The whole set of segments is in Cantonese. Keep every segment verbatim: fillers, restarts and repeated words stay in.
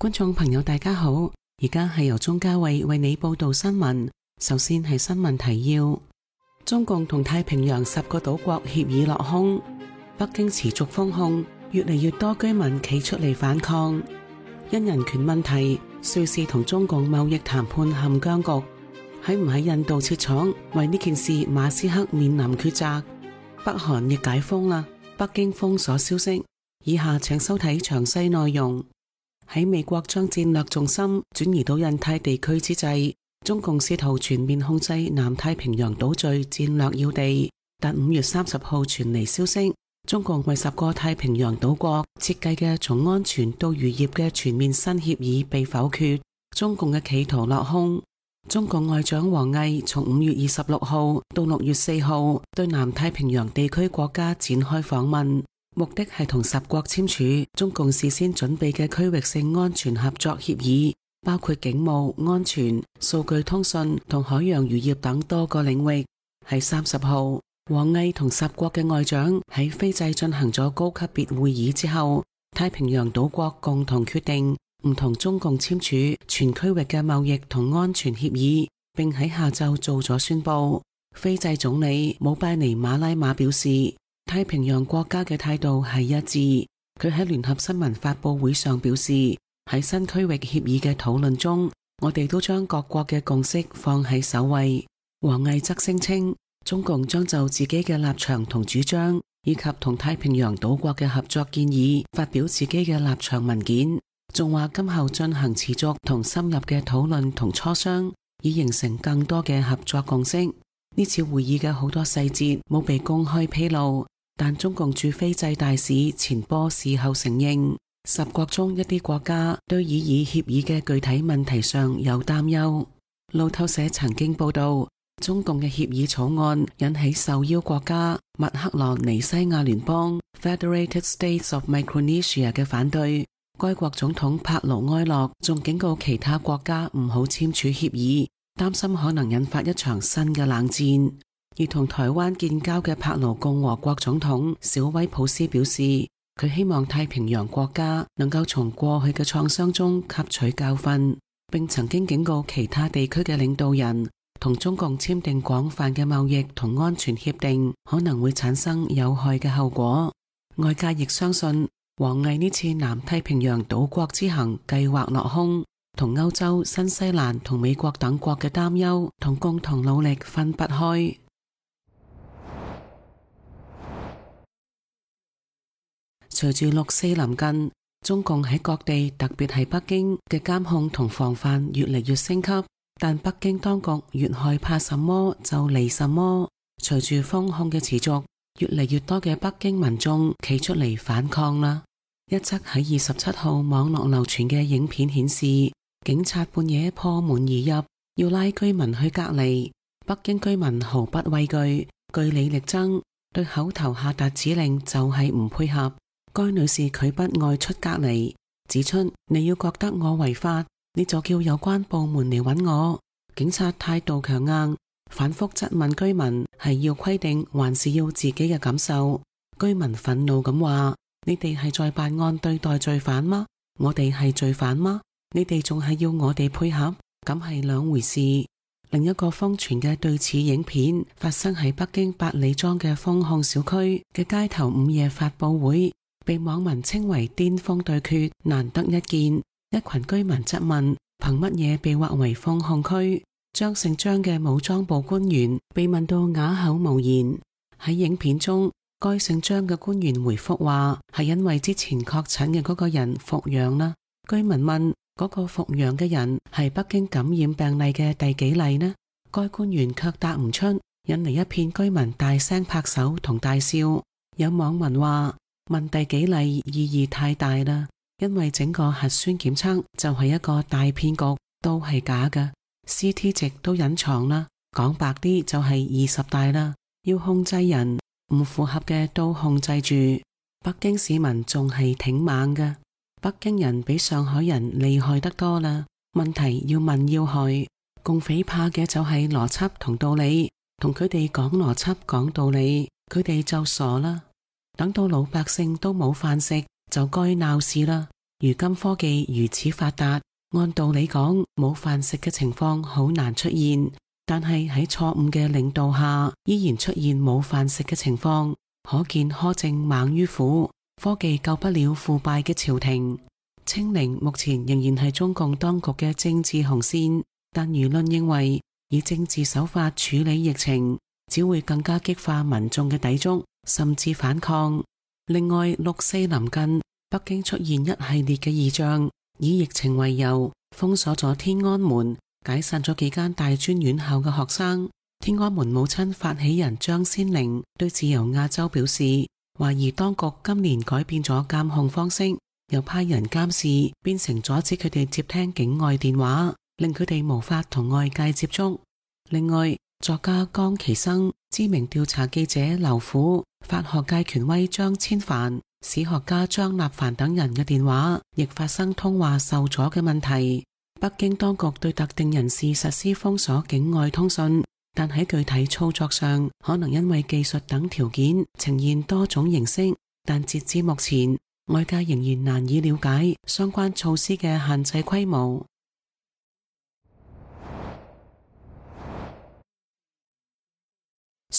觀眾朋友大家好，而家係由鍾嘉慧為你報道新聞。首先係新聞提要：中共同太平洋十個島國協議落空，北京持續封控，越嚟越多居民企出嚟反抗。因人權問題，瑞士同中共貿易談判陷僵局。喺唔喺印度設廠，為呢件事馬斯克面臨抉擇。北韓亦解封啦，北京封鎖消息。以下請收睇詳細內容。喺美國將戰略重心轉移到印太地區之際，中共試圖全面控制南太平洋島嶼戰略要地。但五月三十號傳嚟消息，中共為十個太平洋島國設計嘅從安全到漁業嘅全面新協議被否決，中共嘅企圖落空。中共外長王毅從五月二十六號到六月四號對南太平洋地區國家展開訪問。目的係同十國簽署中共事先準備嘅區域性安全合作協議，包括警務、安全、數據通訊同海洋漁業等多個領域。喺三十號，王毅同十國嘅外長喺斐濟進行咗高級別會議之後，太平洋島國共同決定唔同中共簽署全區域嘅貿易同安全協議，並喺下晝做咗宣布。斐濟總理姆拜尼馬拉馬表示，太平洋國家嘅態度係一致。佢喺聯合新聞發佈會上表示，喺新區域協議嘅討論中，我哋都將各國嘅共識放喺首位。王毅則聲稱，中共將就自己嘅立場同主張，以及同太平洋島國嘅合作建議，發表自己嘅立場文件，仲話今後進行持續同深入嘅討論同磋商，以形成更多嘅合作共識。呢次會議嘅好多細節冇被公開披露。但中共駐斐濟大使錢波事後承認，十國中一啲國家對擬議協議嘅具體問題上有擔憂。路透社曾經報道，中共嘅協議草案引起受邀國家密克羅尼西亞聯邦 Federated States of Micronesia 嘅反對。該國總統帕勞埃洛仲警告其他國家唔好簽署協議，擔心可能引發一場新嘅冷戰。而同台灣建交嘅帕勞共和國總統小威普斯表示，佢希望太平洋國家能夠從過去嘅創傷中吸取教訓，並曾經警告其他地區嘅領導人，同中共簽訂廣泛嘅貿易同安全協定可能會產生有害嘅後果。外界亦相信，王毅呢次南太平洋島國之行計劃落空，同歐洲、新西蘭同美國等國嘅擔憂同共同努力分不開。隨住六四臨近，中共喺各地，特別係北京嘅監控同防範越嚟越升級，但北京當局越害怕什麼就嚟什麼。隨住封控嘅持續，越嚟越多嘅北京民眾企出嚟反抗啦。一則喺二十七號網絡流傳嘅影片顯示，警察半夜破門而入，要拉居民去隔離。北京居民毫不畏懼，據理力爭，對口頭下達指令就係唔配合。該女士拒不外出隔離，指出你要覺得我違法，你就叫有關部門嚟揾我。警察態度強硬，反覆質問居民係要規定還是要自己嘅感受。居民憤怒咁話：你哋係在辦案對待罪犯嗎？我哋係罪犯嗎？你哋仲係要我哋配合？咁係兩回事。另一個瘋傳嘅對此影片發生喺北京八里莊嘅封控小區嘅街頭午夜發佈會，被網民稱為巔峰對決，難得一見。一群居民質問，憑乜嘢被劃為封控區？張姓張嘅武裝部官員被問到啞口無言。喺影片中，該姓張嘅官員回覆話，係因為之前確診嘅嗰個人復陽啦。居民問，嗰個復陽嘅人係北京感染病例嘅第幾例呢？該官員卻答唔出，引嚟一片居民大聲拍手同大笑。有網民話，問第幾例意義太大啦，因為整個核酸檢測就係一個大騙局，都係假嘅 ，C T 值都隱藏啦。講白啲就係二十大啦，要控制人，唔符合嘅都控制住。北京市民仲係挺猛嘅，北京人比上海人厲害得多啦。問題要問要害，共匪怕嘅就係邏輯同道理，同佢哋講邏輯講道理，佢哋就傻啦。等到老百姓都冇飯食，就該鬧事啦。如今科技如此發達，按道理講冇飯食嘅情況好難出現，但係喺錯誤嘅領導下，依然出現冇飯食嘅情況，可見苛政猛於虎，科技救不了腐敗嘅朝廷。清零目前仍然係中共當局嘅政治紅線，但輿論認為以政治手法處理疫情，只會更加激化民眾嘅抵觸，甚至反抗。另外，六四臨近，北京出現一系列嘅異象，以疫情為由，封鎖咗天安門，解散咗幾間大專院校嘅學生。天安門母親發起人張先玲對自由亞洲表示，懷疑當局今年改變咗監控方式，又派人監視，變成阻止佢哋接聽境外電話，令佢哋無法同外界接觸。另外，作家江其生、知名調查記者劉虎、法學界權威張千帆、史學家張立凡等人嘅電話亦發生通話受阻嘅問題。北京當局對特定人士實施封鎖境外通訊，但喺具體操作上可能因為技術等條件呈現多種形式，但截至目前，外界仍然難以了解相關措施嘅限制規模。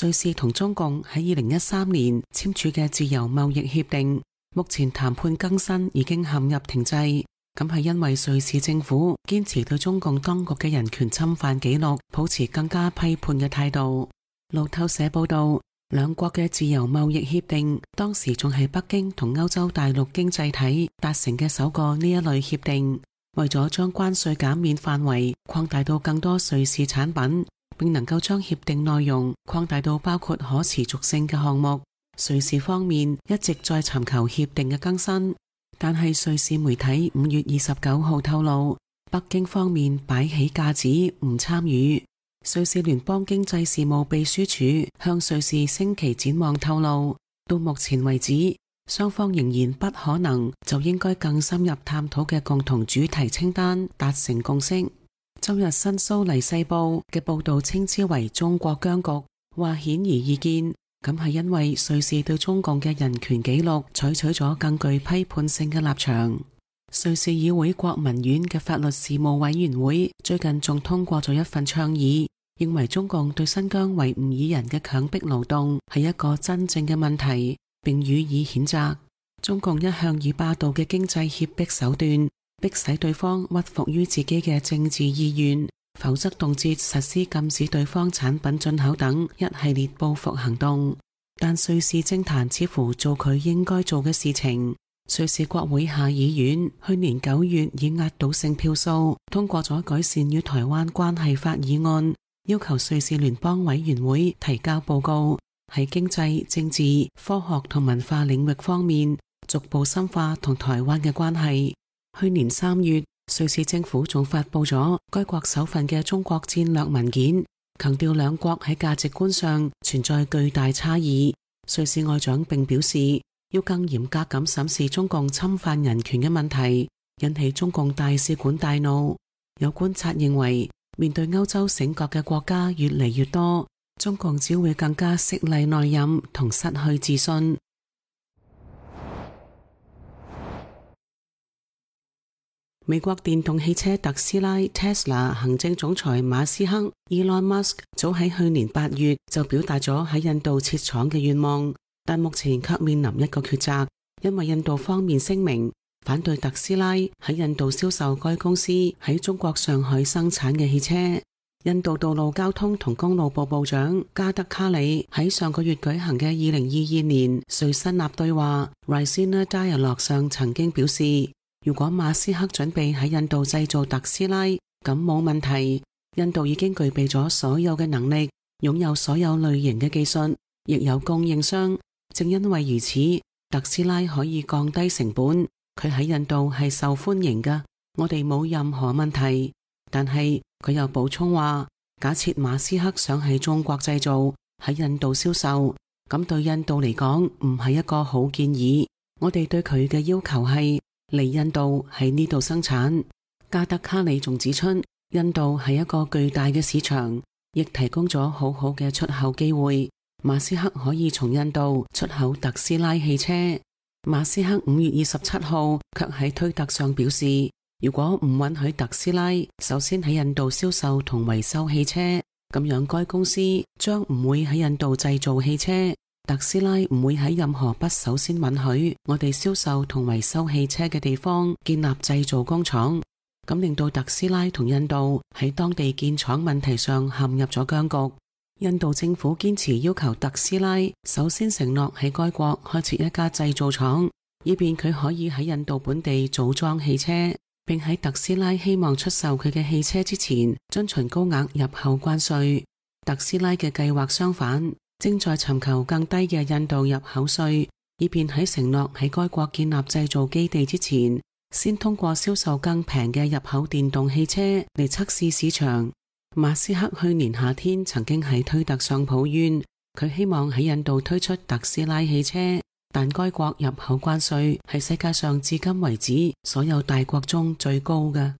瑞士同中共喺二零一三年簽署嘅自由貿易協定，目前談判更新已經陷入停滯。咁係因為瑞士政府堅持對中共當局嘅人權侵犯記錄抱持更加批判嘅態度。路透社報道，兩國嘅自由貿易協定當時仲係北京同歐洲大陸經濟體達成嘅首個呢一類協定，為咗將關稅減免範圍擴大到更多瑞士產品，並能夠將協定內容擴大到包括可持續性嘅項目，瑞士方面一直在尋求協定嘅更新。但係瑞士媒體五月二十九號透露，北京方面擺起架子唔參與。瑞士聯邦經濟事務秘書處向瑞士星期展望透露，到目前為止，雙方仍然不可能就應該更深入探討嘅共同主題清單達成共識。周日新蘇黎世報嘅報道稱之為中國僵局，話顯而易見，咁係因為瑞士對中共嘅人權紀錄採取咗更具批判性嘅立場。瑞士議會國民院嘅法律事務委員會最近仲通過咗一份倡議，認為中共對新疆維吾爾人嘅強迫勞動係一個真正嘅問題，並予以譴責。中共一向以霸道嘅經濟脅迫手段，迫使對方屈服於自己嘅政治意願，否則動輒實施禁止對方產品進口等一系列報復行動。但瑞士政壇似乎做佢應該做嘅事情。瑞士國會下議院去年九月以壓倒性票數通過咗改善與台灣關係法議案，要求瑞士聯邦委員會提交報告，喺經濟、政治、科學同文化領域方面逐步深化同台灣嘅關係。去年三月，瑞士政府仲發佈咗該國首份嘅中國戰略文件，強調兩國喺價值觀上存在巨大差異。瑞士外長並表示，要更嚴格咁審視中共侵犯人權嘅問題，引起中共大使館大怒。有觀察認為，面對歐洲醒覺嘅國家越嚟越多，中共只會更加色厲內荏同失去自信。美國電動汽車特斯拉 Tesla 行政總裁馬斯克 Elon Musk 早喺去年八月就表達咗喺印度設廠嘅願望，但目前卻面臨一個抉擇，因為印度方面聲明反對特斯拉喺印度銷售該公司喺中國上海生產嘅汽車。印度道路交通同公路部部長加德卡里喺上個月舉行嘅二零二二年瑞新納對話 Raisina Dialogue 上曾經表示，如果馬斯克準備喺印度製造特斯拉，咁冇問題。印度已經具備咗所有嘅能力，擁有所有類型嘅技術，亦有供應商。正因為如此，特斯拉可以降低成本，佢喺印度係受歡迎㗎，我哋冇任何問題。但係佢又補充話，假設馬斯克想喺中國製造，喺印度銷售，咁對印度嚟講唔係一個好建議。我哋對佢嘅要求係嚟印度喺呢度生產。加德卡里仲指出，印度係一個巨大嘅市場，亦提供咗好好嘅出口機會。馬斯克可以從印度出口特斯拉汽車。馬斯克五月二十七號卻喺推特上表示，如果唔允許特斯拉首先喺印度銷售同維修汽車，咁樣該公司將唔會喺印度製造汽車。特斯拉唔會喺任何不首先允許我哋銷售同維修汽車嘅地方建立製造工廠，咁令到特斯拉同印度喺當地建廠問題上陷入咗僵局。印度政府堅持要求特斯拉首先承諾喺該國開設一家製造廠，以便佢可以喺印度本地組裝汽車，並喺特斯拉希望出售佢嘅汽車之前遵循高額入口關稅。特斯拉嘅計劃相反，正在尋求更低嘅印度入口稅，以便喺承諾喺該國建立製造基地之前，先通過銷售更平嘅入口電動汽車嚟測試市場。馬斯克去年夏天曾經喺推特上抱怨，佢希望喺印度推出特斯拉汽車，但該國入口關稅係世界上至今為止所有大國中最高嘅。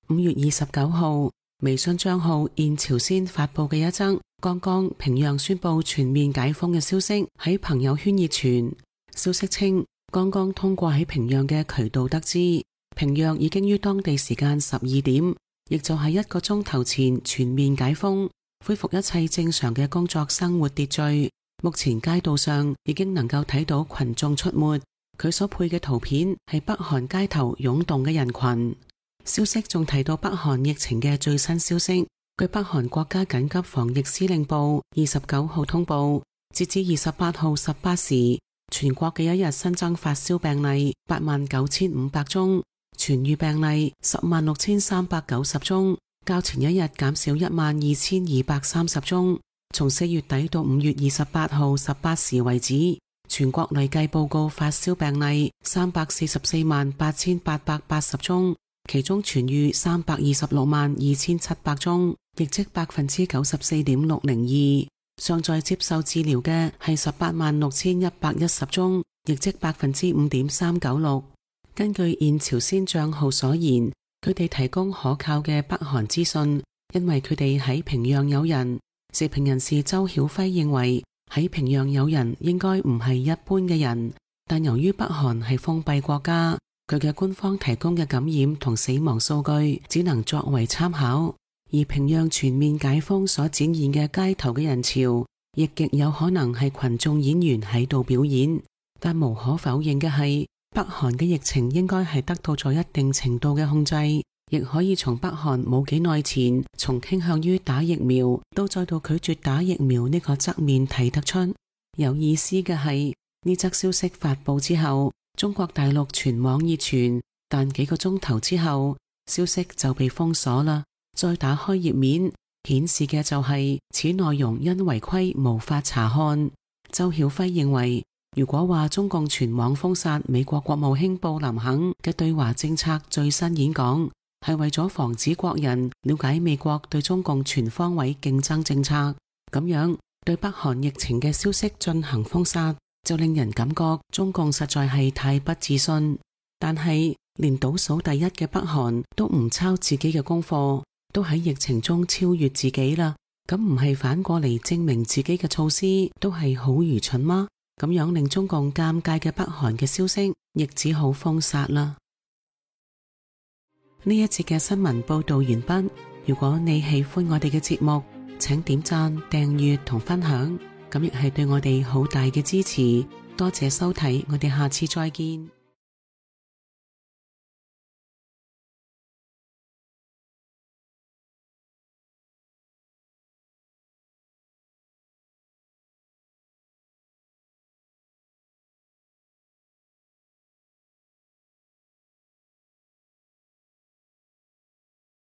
五月二十九號，微信賬號現朝鮮發佈嘅一則剛剛平壤宣布全面解封嘅消息喺朋友圈熱傳。消息稱，剛剛通過喺平壤嘅渠道得知，平壤已經於當地時間十二點，亦就係一個鐘頭前全面解封，恢復一切正常嘅工作生活秩序。目前街道上已經能夠睇到群眾出沒，佢所配嘅圖片係北韓街頭湧動嘅人群。消息仲提到北韓疫情嘅最新消息，據北韓國家緊急防疫司令部二十九號通報，截至二十八號十八時，全國嘅一日新增發燒病例八萬九千五百宗，痊癒病例十萬六千三百九十宗，較前一日減少一萬二千二百三十宗。從四月底到五月二十八號十八時為止，全國累計報告發燒病例三百四十四萬八千八百八十宗，其中痊癒三百二十六萬二千七百宗，亦即百分之九十四點六零二。尚在接受治療嘅係十八萬六千一百一十宗，亦即百分之五點三九六。根據現朝鮮賬號所言，佢哋提供可靠嘅北韓資訊，因為佢哋喺平壤有人。時評人士周曉輝認為，喺平壤有人應該唔係一般嘅人，但由於北韓係封閉國家，佢嘅官方提供嘅感染同死亡數據只能作為參考。而平壤全面解封所展現嘅街頭嘅人潮，亦極有可能係群眾演員喺度表演。但無可否認嘅係，北韓嘅疫情應該係得到咗一定程度嘅控制，亦可以從北韓冇幾耐前從傾向於打疫苗到再度拒絕打疫苗呢個側面睇得出。有意思嘅係，呢則消息發佈之後，中國大陸全網熱傳，但幾個鐘頭之後，消息就被封鎖啦。再打開頁面，顯示嘅就係此內容因違規無法查看。周曉輝認為，如果話中共全網封殺美國國務卿布林肯嘅對華政策最新演講，係為咗防止國人了解美國對中共全方位競爭政策，咁樣對北韓疫情嘅消息進行封殺，就令人感覺中共實在係太不自信。但係連倒數第一嘅北韓都唔抄自己嘅功課，都喺疫情中超越自己啦，咁唔係反過嚟證明自己嘅措施都係好愚蠢嗎？咁樣令中共尷尬嘅北韓嘅消息，亦只好封殺啦。呢一節嘅新聞報道完畢。如果你喜歡我哋嘅節目，請點讚、訂閱同分享，咁亦係對我哋好大嘅支持。多謝收睇，我哋下次再見。